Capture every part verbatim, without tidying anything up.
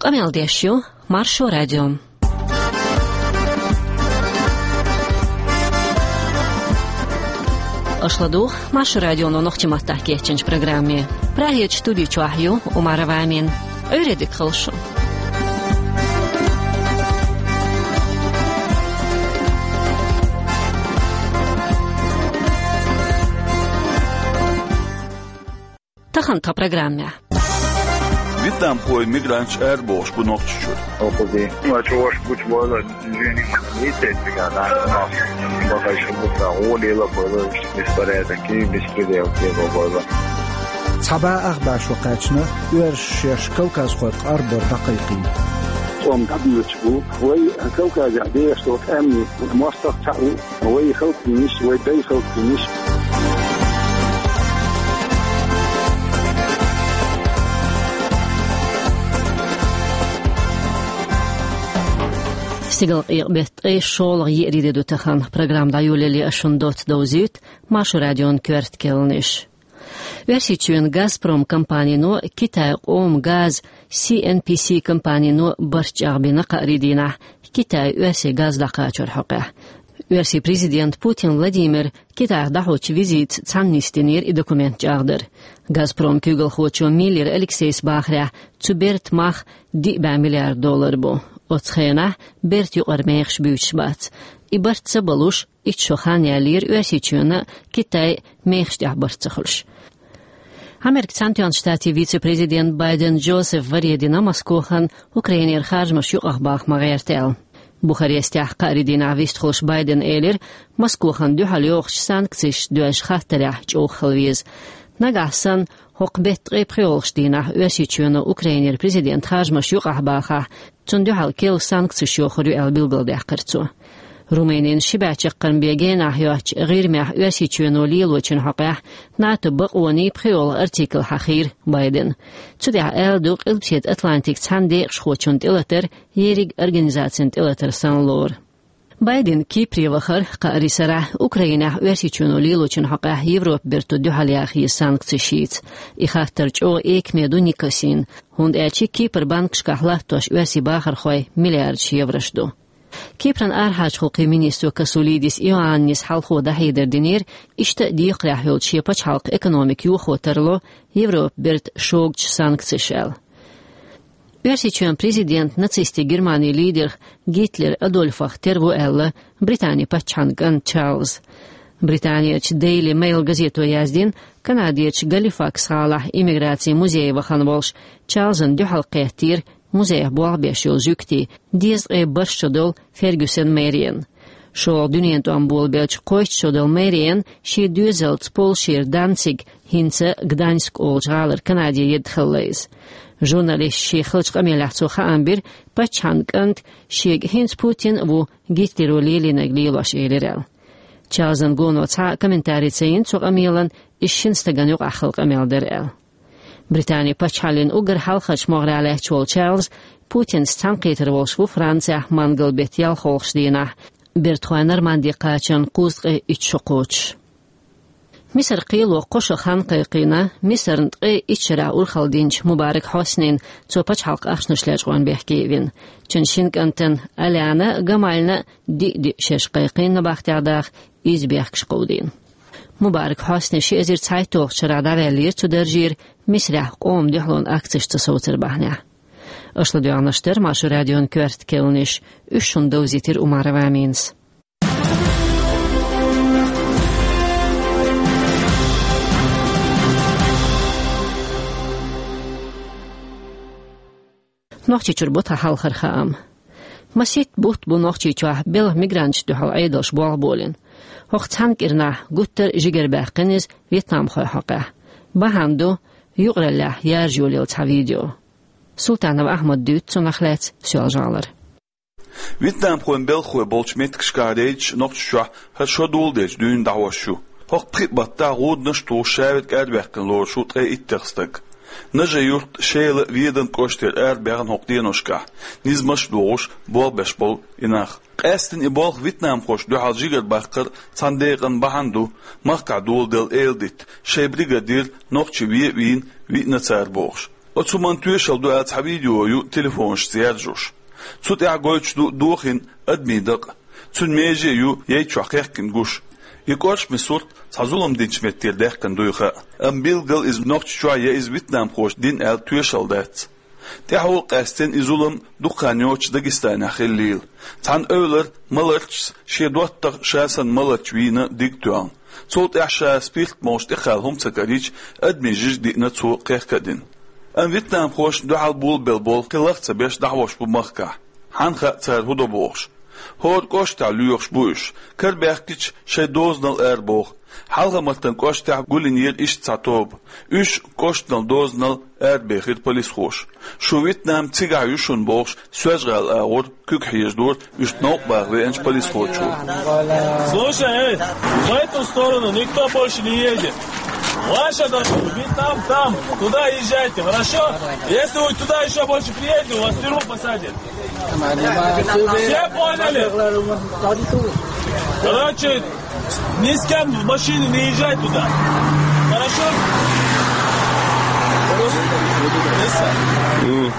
Къамел деш ю Маршо радио. Аша ладугӀу Маршо радионо нохчийн маттахь кечйинчу программе. Прагерчу студи чохь ю Умарова Амина. Ӏуьйре дика хуьлда шун. Тахана тхан программехь. Вьетнамхойн мигранташ арабохуш бу Нохчийчуьра. Оха ди. Ма чуваш гучу бала, жени, ницетига, да, бахайша бутта, гӀоле ла бала, беспорядок, беспредел, бала. Цхьа бӀе ах бӀе шо кхаьчна, оьрсаша шаьш кавказхойх арабар дӀакхайкхийна. Цом дӀабоьдуш бу, вай Кавказехь дехаш долу тӀаьмнийн мостагӀ цхьаъ ву. Вай халкъ йинаш, вай дай халкъ йинаш. Стигалкъекъа беттан ткъе шолгӀа еарин де ду тахана. Программа дӀайолале ас шуна доцца довзуьйту Маршо радион коьрта кхаьънаш. Оьрсийчоьнан «Газпром» компанино Китайн къоман газ Си Эн Пи Си компанино барт чӀагӀбина кхаарин дийнахь Китайн оьрсийн газ дӀакхачорна хьокъехь. Оьрсийн президента Путин Владимира Китайхь дӀахьочу визитаца цхьаьна нисдинера и документ чӀагӀдар. «Газпром» куьйгалхочо Миллер Алексейс бахарехь, цу бертан мах диъ бӀе миллиард доллар бу. Оцу хенахь бертан юкъара мехаш буьйцуш бац. И барт ца балуш, итт шо хан яьллера Оьрсийчоьнан а, Китайн а мехаш тӀехь барт ца хуьлуш. Америкин Цхьаьнатоьхначу Штатийн вице-президент Байден Джозефа варе дина Москвахана Украинера харжамаш юкъахбаха ма гӀерта аьлла. Бухарестехь кхаарин дийнахь вистхуьлуш Байдена элира, Москвахана дуьхьал йохучу санкцешна доьзначу хаттарехь чӀогӀа хила веза. Нагахь санна, хӀокху беттан ткъе пхоьалгӀачу дийнахь Оьрсийчоьнан а, Украинера президентан а харжамаш юкъахбахахь, цунна дуьхьал керла санкцеш йохур ю аьлла билгалдаьккхира цо. Румынин ши бӀе чаккхарма бен генахь йоцучу ГӀирмехь Оьрсийчоьно лелочун хьокъехь НАТО бакъонийн пхоьалгӀа артикл хьахийра Байдена. Цу тӀехь аьлла ду Къилбаседа Атлантикан цхьана декъашхочунна тӀелатар ерриг организацина тӀелатар санна лору. Байден Кипре вахара кхаарин сарахь, Украинехь Оьрсийчоьно лелочун хьокъехь Европан берто дуьхьал яха еза санкцеш йийца. И хаттар чӀогӀа экаме ду Никосина, хӀунда аьлча Кипран банкашкахь латтош оьрсийн бахархойн миллиардаш еврош ду. Кипран арахьарчу гӀуллакхийн министро Касулидис Иоаннис хьалхо дӀахьедар динера, иштта а декхарехь йолчу шен пачхьалкхан экономика йохо тарло Европан берта шогачу санкцеша аьлла. Оьрсийчоьнан президент нацистийн Германин лидерах Гитлер Адольфах тера ву аьлла Британин паччахьан кӀант Чарльз. Британерчу Daily Mail газето яздина, Канадерчу Галифакс гӀалахь иммиграцин музее вахана волуш Чарльзана дуьхьал кхеттера музейхь болх беш йолу жуьгтий, дезткъе бархӀ шо долу Фергюсон Мэриан. ШолгӀа дуьненан тӀом болабелча кхойтта шо долу Мэриан шен доьзалца Польшера Данциг, хӀинца Гданьск олучу гӀалара Канаде едда хилла иза. Журналисташна шен хиллачу къамелехь цо хаам бира, паччахьан кӀанта шега хӀинца Путин а ву Гитлеро лелийнарг лелош, элира аьлла. Чарльзан гоно цхьа а комментарий ца йина цу къамелан, иза шина стагана юкъахь хилла къамел дара аьлла. Британин пачхьаллин уггар хьалхарчу могӀарехь лаьтташ волу Чарльз Путинца цхьаьнакхетар волуш ву Францехь мангал-беттан ялхолгӀачу дийнахь, бертахой Норманди кхачарна кхузткъе итт шо кхочуш. Мисаран кхело кхо шо хан кхайкхийна Мисарна ткъе итт шарахь урхалла динчу Мубарак Хьоснина, цо пачхьалкхан ахчанаш лечкъорна бехке а вина. Цуьнан шина кӀантана Аляна а, Гамальна а диъ-диъ шераш кхайкхийна набахтехь даха, изза бехкаш кховдийна. Мубарак Хьосни ши эзар цхьайтталгӀачу шарахь дӀаваьллера цу даржера, Мисарехь къоман дуьхьалонан акцеш ца совцар бахьанехь. Аша ладоьгӀнарш дара Маршо радион коьрта кхаьънаш, уьш шуна довзийтира Умарова Аминас. Нохчийчуьра бу тхан хьалхара хаам. Масийтта бутт бу Нохчийчохь белхан мигранташна дуьхьал Ӏедалша болх болийна. ХӀокху цхьана кӀирнахь гуттар а жигара баьккхина иза вьетнамхойн хьокъехь. Бахьана ду юкъараллехь яржа йолаелла цхьа видео. Султанов Ахьмада дуьйцу цунах лаьцна Соьлжа-ГӀалара. Вьетнамхойн белхахой болчу меттигашкахь рейдаш Нохчийчохь хӀара шо доладелча дуьйна дӀахьош ю. ХӀокху пхи баттахь гӀуданаш а тухуш, шаверг арабаьккхина лоруш ву ткъе иттех стаг. Нажи-Юрт, Шела, Веданан кӀоштара арабаьхна хӀокху деношкахь, низамаш а дохуш, болх беш болу и нах. Къаьсттина и болх вьетнамхошна дуьхьал жигара баккхар цхьана декъана бахьана ду, махкахь доладелла эладитта, шайн бригадира нохчий вен а вийна, виъна цара бохуш. Оцу хӀуманна тоьшалла ду аьлла цхьа видео ю телефонашца яржош. Цу тӀехь гойтуш ду дохийна адамийн дакъа. Цуьнан меже а ю яй чохь кхехкина гуш. И кӀоршаме сурт цхьа зулам динчу меттера даьккхина дуй хаьа. Амма билггал иза Нохчийчохь я иза вьетнамхоша дина аьлла тоьшалла дац. ТӀаьхьо къаьстина и зулам дукха хан йоццуш Дагестанехь хиллийла. Цхьана эвлара маларчас шен доттагӀа ша санна маларча вийна диг тоьхна. Цул тӀаьхьа ша спирт молуш тӀекхаьлла хӀума ца карийча, адамийн жижиг диъна цо кхехка а дина. Амма вьетнамхошна дуьхьал болабелла болу кхин лах ца беш дӀахьош бу махкахь. Хьанна хаьа цара хӀун до бохуш. ХӀора кӀоштахь лоьхуш бу уьш. Кара баьхкича шайн дозанал арабоху. Хьалха-Мартан кӀоштахь гулйинера иштта цхьа тоба. Уьш кӀоштанал дозанал арабехира полисхоша. Шу Вьетнам цигахь ю шуна бохуш, Соьлжа-ГӀала агӀор куьг хьежадора уьш новкъа баха веанчу полисхочо. Слушай, эй, в эту сторону никто больше не едет. Ваша дорога, Вьетнам там, туда езжайте, хорошо? Если вы туда еще больше приедете, вас в тюрьму посадят. Все поняли? Короче, ни с кем в машине не езжай туда. Хорошо? М.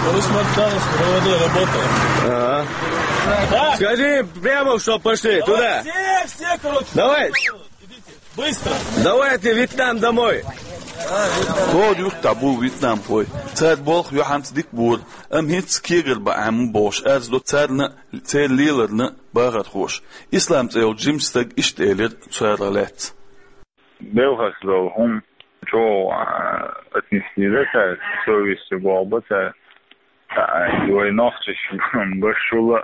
Короче, Мартанов провода работает. Ага. Так. Скажи прямо, что пошли туда. Все, все, короче. Давай. Идите. Быстро. Давайте Вьетнам домой. ХӀора юьртахь бу вьетнамхой. Цара болх юьхьанца дика бора, амма хӀинца кегар бан Ӏемма бохуш, арз до царна а, церан леларна а бахархоша. Ислам цӀе йолчу жимачу стага иштта элира царах лаьцна. Белхаш долу хӀума чӀогӀа, а, отнести дац, совесть болх бац. Ай, вай нохчаш башула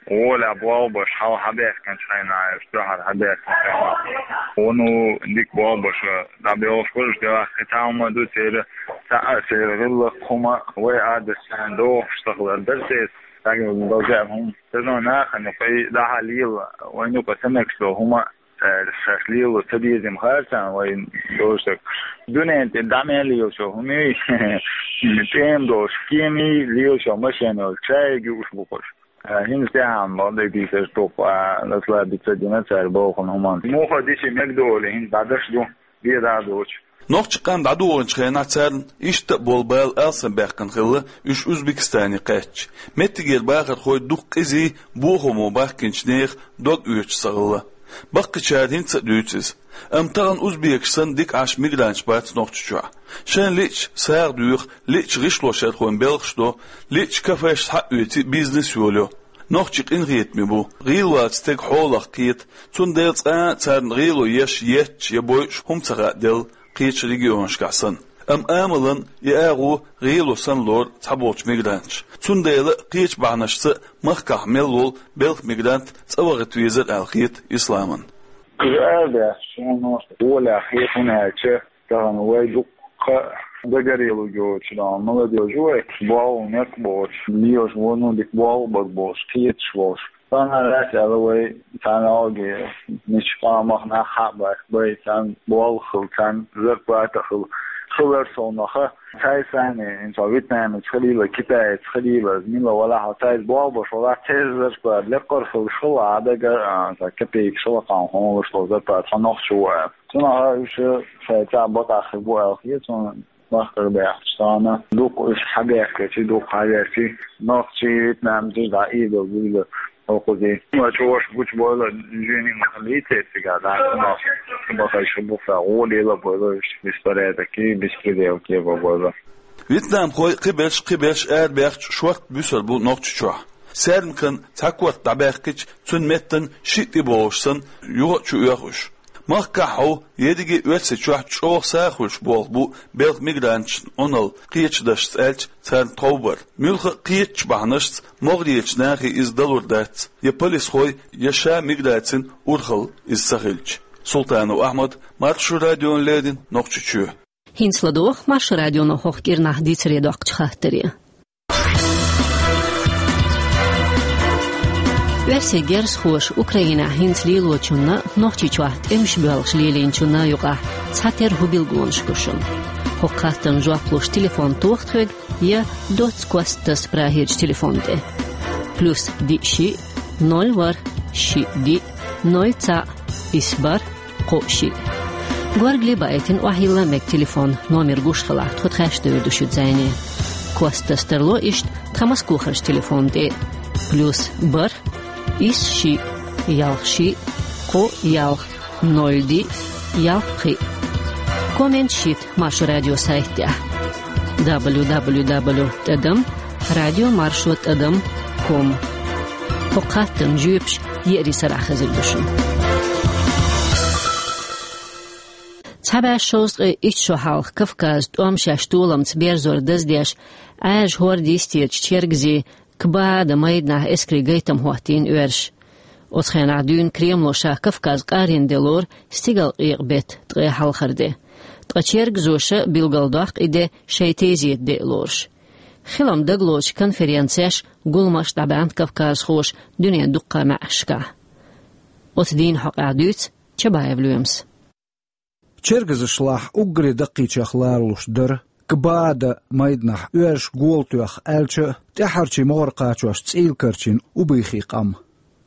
гӀоле болх беш, хьал хьабаьхкинчу хенахь, уьш дуьхьал хьабаьхкинчу хенахь. Вуно дика болх беш, дӀабелхаш бу уьш, делахь кхин цхьа хӀума ду церан, цхьа а церан гӀиллакх хӀума, вай Ӏадатца догӀуш ца хилар дара церан, дагна база хӀума. Ца зон нахана юкъа дӀахьа лела, вайна юкъа ца мегаш долу хӀума, э, шаьш лело ца деза-м хаьара царна вайн долуш дерг. Дуьнен тӀе дӀа мел лелачо хӀумий, тӀема долуш кемий, лелачо машен йолу чаьиг юуш бу кхуш. Э, хӀинца тӀаьхьа ма дайдийсаш дукха, а, расслабиться дина цара боху хӀуманна. Муха дичи мегадолу хӀинца дӀадаш ду, бен дӀа а доцуш. Нохчийн къам дӀадохийначу хенахь царна иштта а болу бала алсамбаьккхина хилла, уьш Узбекистане кхаьчча. Меттигера бахархой дукха къизий, бохамо бахкинчу нехан дог оьцуш ца хилла. Баккхийчара хӀинца а дуьйцу иза. Амма тахана узбекаш санна дика Ӏаш мигранташ бац Нохчийчохь. Шайна лиъча сагӀа доьху, лиъча гӀишлошъярхойн белхаш до, лиъча кафеш схьаоьций бизнес йолайо. Нохчий къинхетаме бу, гӀийла ваьллачу стеган хьолах кхета, цундела цкъа а царна гӀело еш, етташ я бойуш хӀума ца хааделла, кхечу регионашкахь санна. Амма амалан и агӀо гӀело санна лору цхьаболчу мигранташа. Цундела а кхечу бахьанашца а махкахь мел волу белхан мигрант цӀа вахийта везара аьлла хета Исламан. Уьш арабаьхча, шайна гӀолехь хета, хӀунда аьлча тахана вай дуккха а догорелый йоцуш, молодёжь вай, болх мекх боцуш, лелаш вон дика болх бара бохуш, кхеташ волуш. Царна лаьцна аьлла вай, царна оги, мича къомах нах хьа а баьхкина, царна болх хила, царна зарплата хила. Хилар совнаха, цаьрца санна, хӀинца вьетнамец хилийла, китаец хилийла, мила валахь, цаьрца болх беш валахь, церан зарплата лекхара хилуш хила, а дага, а, цхьа копейкаш хила кхана хьуна луш долу зарплата хьо нохчо ву аьлла. Цунах уьш шайца бакъахь хир бу аьлла хета суна. Махкара баьхча царна дукха уьш хьабаьхкичи, дукха хьаверчи, нохчий, вьетнамций дӀа ийдал буйла хӀокхузий. Ма чуваш гучу бойла, жуьни ма хилийта цигахь, дӀа ма бахайша буха, гӀоле ла бойла уьш, беспорядок и, беспредел кеба бойла. Вьетнамхой кхиберш, кхиберш арабаьхча шортта буьсур бу Нохчийчохь. Саьрмикан цхьа корта дӀабаьхкича, цуьнан меттана шиъ тӀебогӀуш санна, юха а чу оьху уьш. Махкахь хьо, ерриге а Оьрсийчохь чӀогӀа сагӀа хуьлуш болх бу белхан мигранташна Ӏуналла, кхечу дашца аьлча, царна тховбар. Муьлхха а кхечу бахьанашца могӀарерчу нахе иза далур дац, я полисхой, я ша миграцин урхалла иза ца хилча. Султанов Ахьмад, Маршо радиона леррина, Нохчийчоь. ХӀинца ладогӀа Маршо радионо хӀокху кӀирнахь дийцаре доккхучу хаттаре. Оьрсийн герзахоша Украинехь хӀинца лелочунна а, Нохчийчохь тӀемаш боьлхуш лелийначунна а юкъахь цхьатерра хӀун билгалонаш бу шуна? ХӀокху хаттарна жоп луш телефон тоха тхоьга я доцца кост таса Прагерчу телефон тӀе. Плюс диъ шиъ, ноль ворхӀ, шиъ диъ, ноль цхьаъ, исс бархӀ, кхоъ шиъ. Горгали баийтина охьайилла мега телефон, номер гуш хилахь, тхо тхаьш девр ду шуьца зӀене. Кост таса тарло иштта тхан Москвахарчу телефонна тӀе: плюс бархӀ, исс шиъ, ялх шиъ, кхо ялх, ноль диъ, ялх пхиъ. Комменташ йита Маршо радион сайта тӀехь: дабл ю дабл ю дабл ю тӀадам радио маршо тӀадам ком. ХӀокху хаттарна жоьпаш еарин сарахь хезар ду шуна. Цхьа бӀе шовзткъе итт шо хьалха Кавказан тӀом шаьш толамца берзор даздеш, Ӏаьржа хӀорда йистерчу чергазийн Кбаада майданахь эскарийн гайтам хӀоттийна оьрсаша. Оцу хенахь дуьйна Кремло ша Кавказ къаренна де лору стигалкъекъа беттан ткъе хьалхара де. Ткъа чергазаша билгалдоккху и де шайн тезета де а лоруш. Хилам дагалоцучу конференцеш, гуламаш дӀабаьхна кавказхоша дуьненан дуккха а маьӀӀашкахь. Оцу дийнан хьокъехь дуьйцу Чабаев Лоьмас. Чергазашлахь уггаре даккхийчех ларалуш дара Кбаада майданахь оьрсаша гола тоьхна аьлча а, тӀаьххьарчийн могӀара кхачош цӀийла карчийна убыхин къам.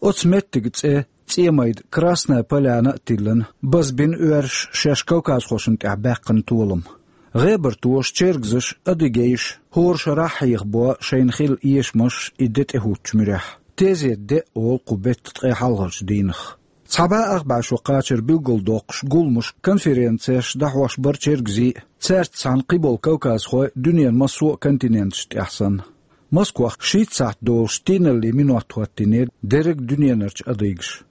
Оцу меттиган цӀе цӀен майда Красная Поляна а тиллина, базбина оьрсаша шаьш кавказхошна тӀехь баьккхина толам. ГӀебартоша, чергазаша, адыгейша хӀора шарахь хьехабо шайна хилла эшамаш и де тӀехӀуттучу муьрехь. Тезета де а олу кху беттан ткъе хьалхарчу дийнах. Цхьа бӀе ах бӀе шо кхачар билгалдоккхуш, гуламаш, конференцеш дӀахьош бара чергазий а, цаьрца цхьаьна кхиболу кавказхой дуьненан массо а континенташна тӀехь санна. Москвахь шийтта сахьт долуш тийналлин минот хӀоттийнера дерриг дуьненарчу адыгаша.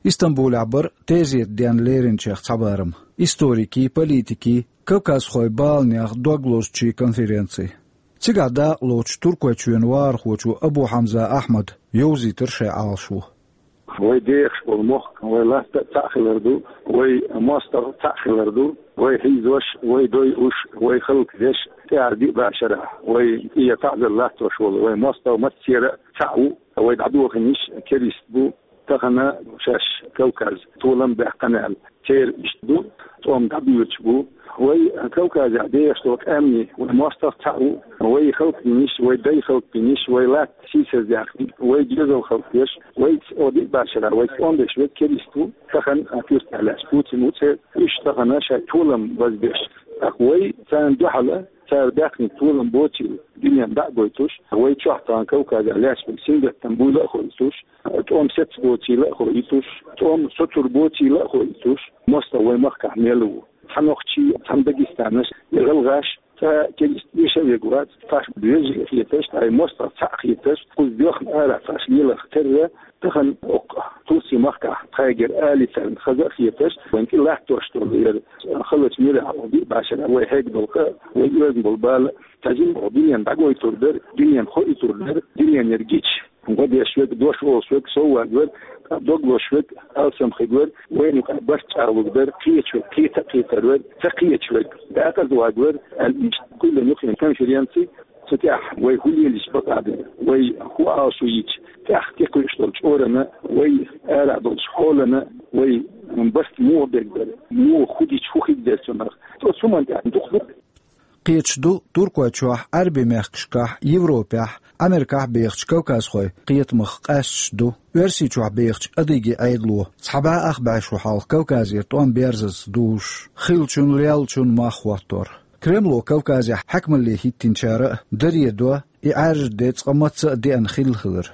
Истамбулехь бара тезета денна леринчех цхьа барам: историкийн, политикийн, кавказхойн баланех дог лозучийн конференци. Цигахь дакъалоцучу Туркойчоьнан вахархочо Абу-Хьамза Ахьмада йовзийтира шайн Ӏалашо. Вай дехаш болу мохк, вай латта а цхьаъ хилар ду, вай мостагӀа а цхьаъ хилар ду, вай хьийзош, вай дойуш, вай хӀаллакдеш, тӀаьхьара диъ бӀе шарахь вай тӀера таӀзар латтош волу вай мостагӀа массеран а цхьаъ ву, вай дӀадохийнарш керист бу, тахана шаьш Кавказ толам баьккхина аьлла. Церан иштта ду, тӀом дӀабоьдуш бу. Вай Кавказехь дехаш долу къаьмнийн, вай мостагӀа цхьаъ ву, вай хӀаллакдинарш, вай дайн хӀаллакдинарш, вай латта сийсаздаьккхинарш, вай доьзал хӀаллакдеш, вай цӀа диъ бӀе шарахь вай тӀом беш верг керист ву, тахана а туьртехь лаьцна Путин ву церан, уьш тахана шайн толам базбеш. ТӀаккха вай царна дуьхьал а, цара баьккхинарг толам боцийла дуьненна дӀа а гойтуш, вай чохь тахана Кавказехь лаьцна верг сингаттам буйла а хоуьйтуш, тӀом сецна боцийла а хоуьйтуш, тӀом соцур боцийла а хоуьйтуш, мостагӀа вай махкахь мел ву. Цхьа нохчий, цхьана дагестанцаш, я гӀалгӀаш, цкъа керист вешан а верг вац, тхаьш вежарий хеташ, тхайн мостагӀа цхьаъ хеташ, кхуза доьхна арахь тхаьш леларх терра, тахана оккха Турцин махкахь тхайгара али царна хаза а хеташ, вайн тӀе латтош долу яра халачу муьрехь диъ бӀе шарахь вай хьегна долу къа, вай оьзна болу бала, цхьа жимма дуьненна дӀагойтур дара, дуьненна хоуьйтур дара, дуьненара гича гӀо деш верг, дош олуш верг сов вагавар, дог лозуш верг алсам хигавар, вайна юкъахь барт чӀагӀлург дара, кхеташ верг кхета а кхетар вара, ца кхеташ верг декъаза вагавар, аьлла, иштта кхоьллина ю хин конференци. Цу тӀехь вай хӀун лелийча бакъ а дара, вай хӀун Ӏалашо йича, тӀехь тӀекхуьуш долчу чкъурана, вай арахь долчу хьолана, вай барт муха берг дара, муха хӀун дича хӀун хир дара цунах. Оцу хӀуманна тӀехь дукха ду. Кхеташ ду, Туркойчохь, Ӏаьрбийн мехкашкахь, Европехь, Америкахь бехачу кавказхойн кхетамах къаьсташ ду Оьрсийчохь бехачу адыгийн Ӏедало цхьа бӀе ах бӀе шо хьалха Кавказера тӀом берзаза дузуш, хиллачун, леллачун мах хӀоттор. Кремло Кавказехь хьаькамалле хӀиттинчара а даре до и Ӏаьржа де цкъа мацца а деана хилла хилар.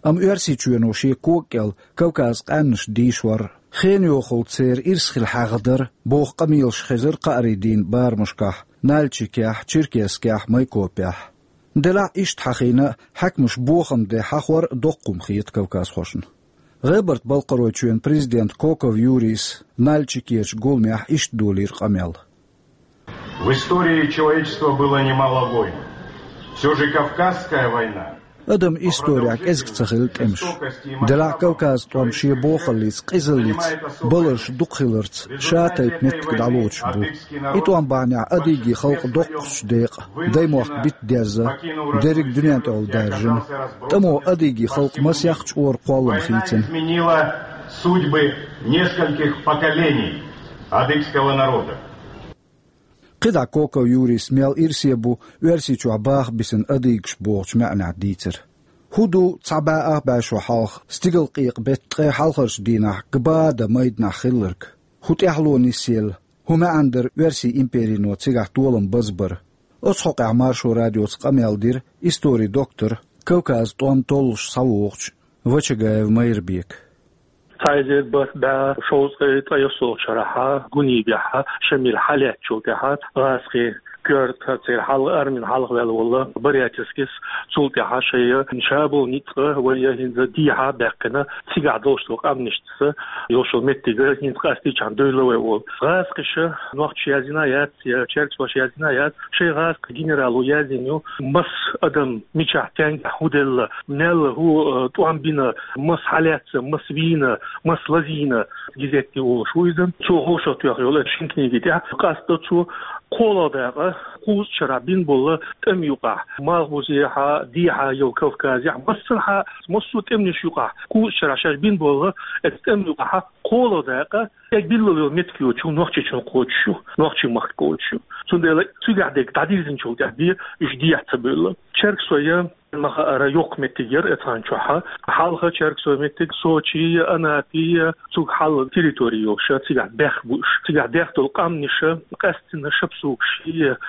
Амма Оьрсийчоьно шен кога кӀел Кавказан къаьмнаш дийшор, хенан йохалла церан ирс хила хьаьгна дара, боху къамелаш хезара кхаарийн дийнан барамашкахь Нальчикехь, Черкесскехь, Майкопехь. Делахь иштта хьахийна а, хьаькамаша бохам де хьахор а доккха хӀума хета кавказхошна. ГӀебарта-Балкхаройчоьнан президента Коков Юрийс Нальчикерчу гуламехь иштта долийра къамел. В истории человечества было немало войн. Все же Кавказская война. Адаман исторехь кӀезиг ца хилла тӀемаш. Делахь Кавказан тӀом шен бохаллица, къизаллица, баларш дукха хиларца, ша тайпа меттиг дӀалоцуш бу. И тӀом бахьанехь адыгийн халкъ доккхачу декъан даймохк бита дезна, дерриг дуьнен тӀехула даьржина. ТӀамо адыгийн халкъ масех чкъора кхоллам хийцина. Изменила судьбы нескольких поколений адыгского народа. КхидӀа Коков Юрийс мел ирсе бу Оьрсийчохь баха бисина адыгаш бохучу маьӀнехь дийцира. ХӀун ду цхьа бӀе ах бӀе шо хьалха стигалкъекъа беттан ткъе хьалхарчу дийнахь Кбаада майданахь хилларг? ХӀун тӀаьхьало нисъелла? ХӀун маьӀна дара оьрсийн империно цигахь толам базбар? Оцу хьокъехь Маршо радиоца къамел дира историн доктор, Кавказан тӀом толлуш схьавогӀучу Вачагаев Майрбека. Цхьа эзар бархӀ бӀе шовзткъе ткъайоьссалгӀачу шарахь, Гунибехь, Шамил хьалаьцначул тӀаьхьа, гӀазкхийн коьрта церан хьалха, армин хьалха ваьлла волу Барятинскис, цул тӀаьхьа шайн ша болу ницкъ вай хӀинца дехьа а баьккхина, цигахь долуш долу къаьмнашца йолуш йолу меттиг хӀинца къастийчхьана девлла вай олу. ГӀазкхаша, нохчаша яздина яц, я чергсаша яздина яц, шайн гӀазкхийн генерало яздина ю, маса адам мичахь, стенгахь хӀун делла, мел хӀун, э, тӀом бина, маса хьалаьцна, маса вийна, маса лазийна, газетехь олуш ву иза. Цо хьошалгӀа тоьхна йолу шина книги тӀехь къаьстина цо кхоалгӀа дакъа кхузткъа шарахь бина болу тӀамна юкъахь, малхбузехь, дехьа йолу Кавказехь, массанхьа, массо а тӀемнаш юкъахь, кхузткъа шарахь шаьш бина болу, оцу тӀамна юкъахь кхоалгӀа дакъа, и билла йолу меттиг йоцуш нохчийн чу кхочуш ю, нохчийн махка кхочуш ю. Цундела цигахь дерг дӀадирзинчул тӀаьхьа бен уьш дехьа ца бевлла. Чергсой, ма-хаъара, йоккха меттиг яра оцу хана чохь. Хьалха чергсой меттиг Сочи, Анапи, цуьнга хьалха территори йолуш, цигахь баьхна бу уьш. Цигахь даьхна долу къаьмнаш, къаьсттина шапсугаш,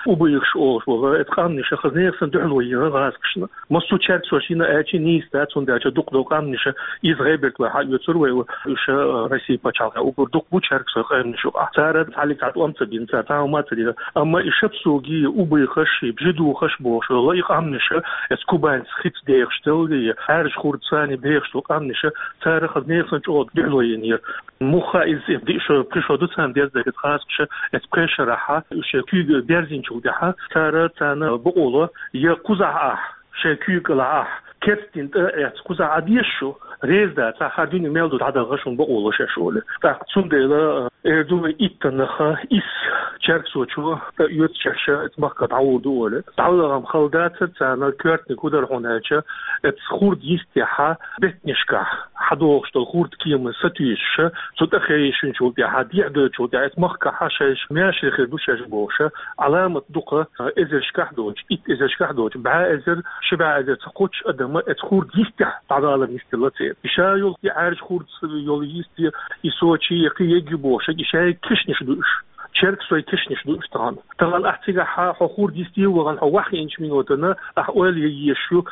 убайхаш олуш болу, оцу къаьмнаша хаза-нехан дуьхьало йина гӀазкхашна. Массо а чергсош йина аьлча нийса дац, хӀунда аьлча дукха долу къаьмнаш, иза ГӀеберта вай хьаоьцур вай, уьш Россин пачхьалкхехь уггар дукха бу чергсой къаьмнаш юкъахь. Цара цхьаллиг цхьа тӀом ца бина, цара цхьа хӀума ца дина. Амма и шапсугаш, убайхаш, бжидухаш бохуш йолу и къаьмнаш, оцу Кубанца хица дехаш долу, и Ӏаьржа хурдца дехаш долу къаьмнаш, цара хаза-нехан чӀогӀа дуьхьало йинера. Муха иза диъ шо, пхи шо ду царна деза дерг, гӀазкхаша оцу пхеа шарахь уьш куьйга берзинчул тӀаьхьа, цара царна бакъо ло, я кхузахь ахь, шайн куьйга кӀелахь ахь, керстина тӀе а эцна, кхузахь Ӏа дезаш ю, реза дац, хӀара дуьне мел ду дӀадахьа шуна бакъо ло шаьш олий. ТӀаккха цундела, э, эр ду вай, иттаннах исс чергсочо тӀеоьцуш шаьш оцу махка дӀагӀур ду олий. ДӀавала гӀам хала дацара царна, коьртаниг хӀун дара хьуна аьлча, оцу хурд йистехь беттанашкахь хьадогӀуш долу хурд кема сатуьйсуш, цу тӀе хевшинчул тӀаьхьа, дехьа доьдучул тӀаьхьа, оцу махкахь шаьш маьрша хир ду шаьш бохуш, Ӏаламат дукха, э, эзаршкахь доцуш, итт эзаршкахь доцуш, бӀе эзар, ши бӀе эзар ца кхоччуш адам оцу хурд йистехь дӀавалар йистелла церан. И ша йолу и Ӏаьржа хурд йолу йист, и Сочи, и кхин егги бохуш, и шайга кешнаш ду уьш. Чергсой кешнаш ду уьш тахана. Тахана ахь цигахь хьо хурд йисте а вахана, хьо вахийначу минотана ахь ойла ян езаш ю,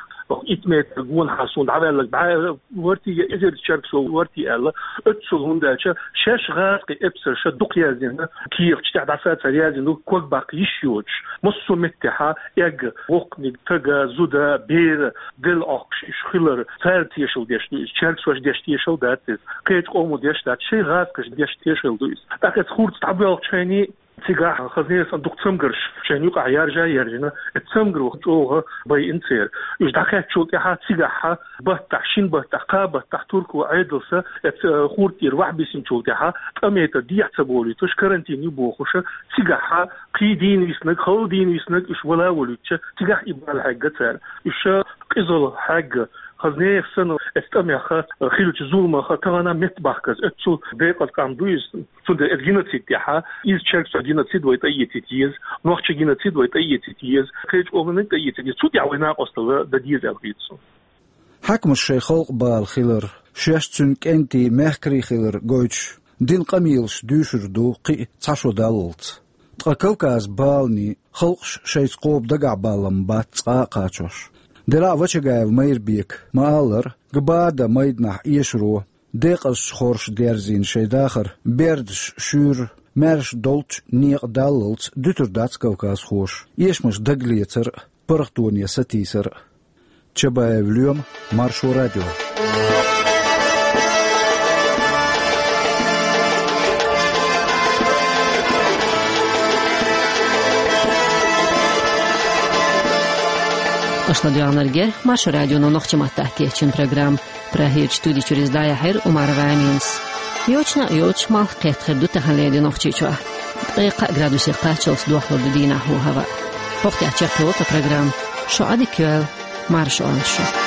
итт метр гонахьа суна дӀаваьлларг бӀе вартий я эзар чергсо вартий аьлла, оццул, хӀунда аьлча шаьш гӀазкхийн эпсарша дукха яздина, кехаташ тӀехь дӀасацар яздина ду, ког баккха йиш йоцуш. Массо а меттехь эгга, воккханиг, тага, зуда, бер, делла Ӏохкуш уьш хилар, цара тешал деш ду иза, чергсоша деш тешал дац иза, кхечу къомо деш дац, шайн гӀазкхаша деш тешал ду иза. ТӀаккха оцу хурдца дӀабоьлхучу хенахь, цигахь хаза-нехан дукха цамгарш шайна юкъахь яржа а яржина, оцу цамгаро чӀогӀа байина церан. Уьш дӀакхаьччул тӀаьхьа цигахь баттахь, шина баттахь, кхаа баттахь турко Ӏедалша оцу, э, хурд тӀера вахьа бисинчул тӀаьхьа, ткъа метр дехьа ца болуьйтуш, карантин ю бохуш, цигахь кхин дийна виснарг, хала дийна виснарг уьш вала а волуьйтуш, цигахь и бала хьегна цара. Уьш къизалла хьегна, хаза-нехан санна оцу тӀамех, хиллачу зуламах тахана меттабахкарца, оццул декъаза къам ду иза. Цундела оцу геноцид тӀехь, иза чергсой геноцид вай тӀеэцийта еза, нохчийн геноцид вай тӀеэцийта еза, кхечу къомениг тӀеэцийта еза, цу тӀехь вай накъосталла дан деза аьлла хета суна. Хьаькамаша шайн халкъан бала хилар, шаьш цуьнан кӀентий, мехкарий хилар гойтуш, дина къамелаш дуьйшур ду кхин а цхьа шо даллалц. Ткъа Кавказан баланийн халкъаш шайца кхоба дагахь баллалц бац цкъа а кхачош. Делахь а Вачагаев Майрбека ма-аллара, Гбада майданахь эшаро, декъазчу хорша дерзийна шайн дахар бердаш шуьйра, маьрша долчу некъа даллалц дуьтур дац кавказхоша эшамаш дагалецар а, паргӀатоне сатийсар а. Чабаев Лоьма, Маршо радио. Аша ладоьгӀнарг яра Маршо радионо нохчийн маттахь кечйина программа. Прагерчу студи чуьра иза дӀаяьхьира Умарова Аминас. Йочана а йоцуш, малх кхетта хир ду тахана леррина Нохчийчохь. Ткъе кхаа градусе кхаччалц дохлур ду дийнахь хӀаваъ. ХӀокху тӀехь чекхйолу тхан программа. Шун Ӏадика йойла, марша Ӏойла шу.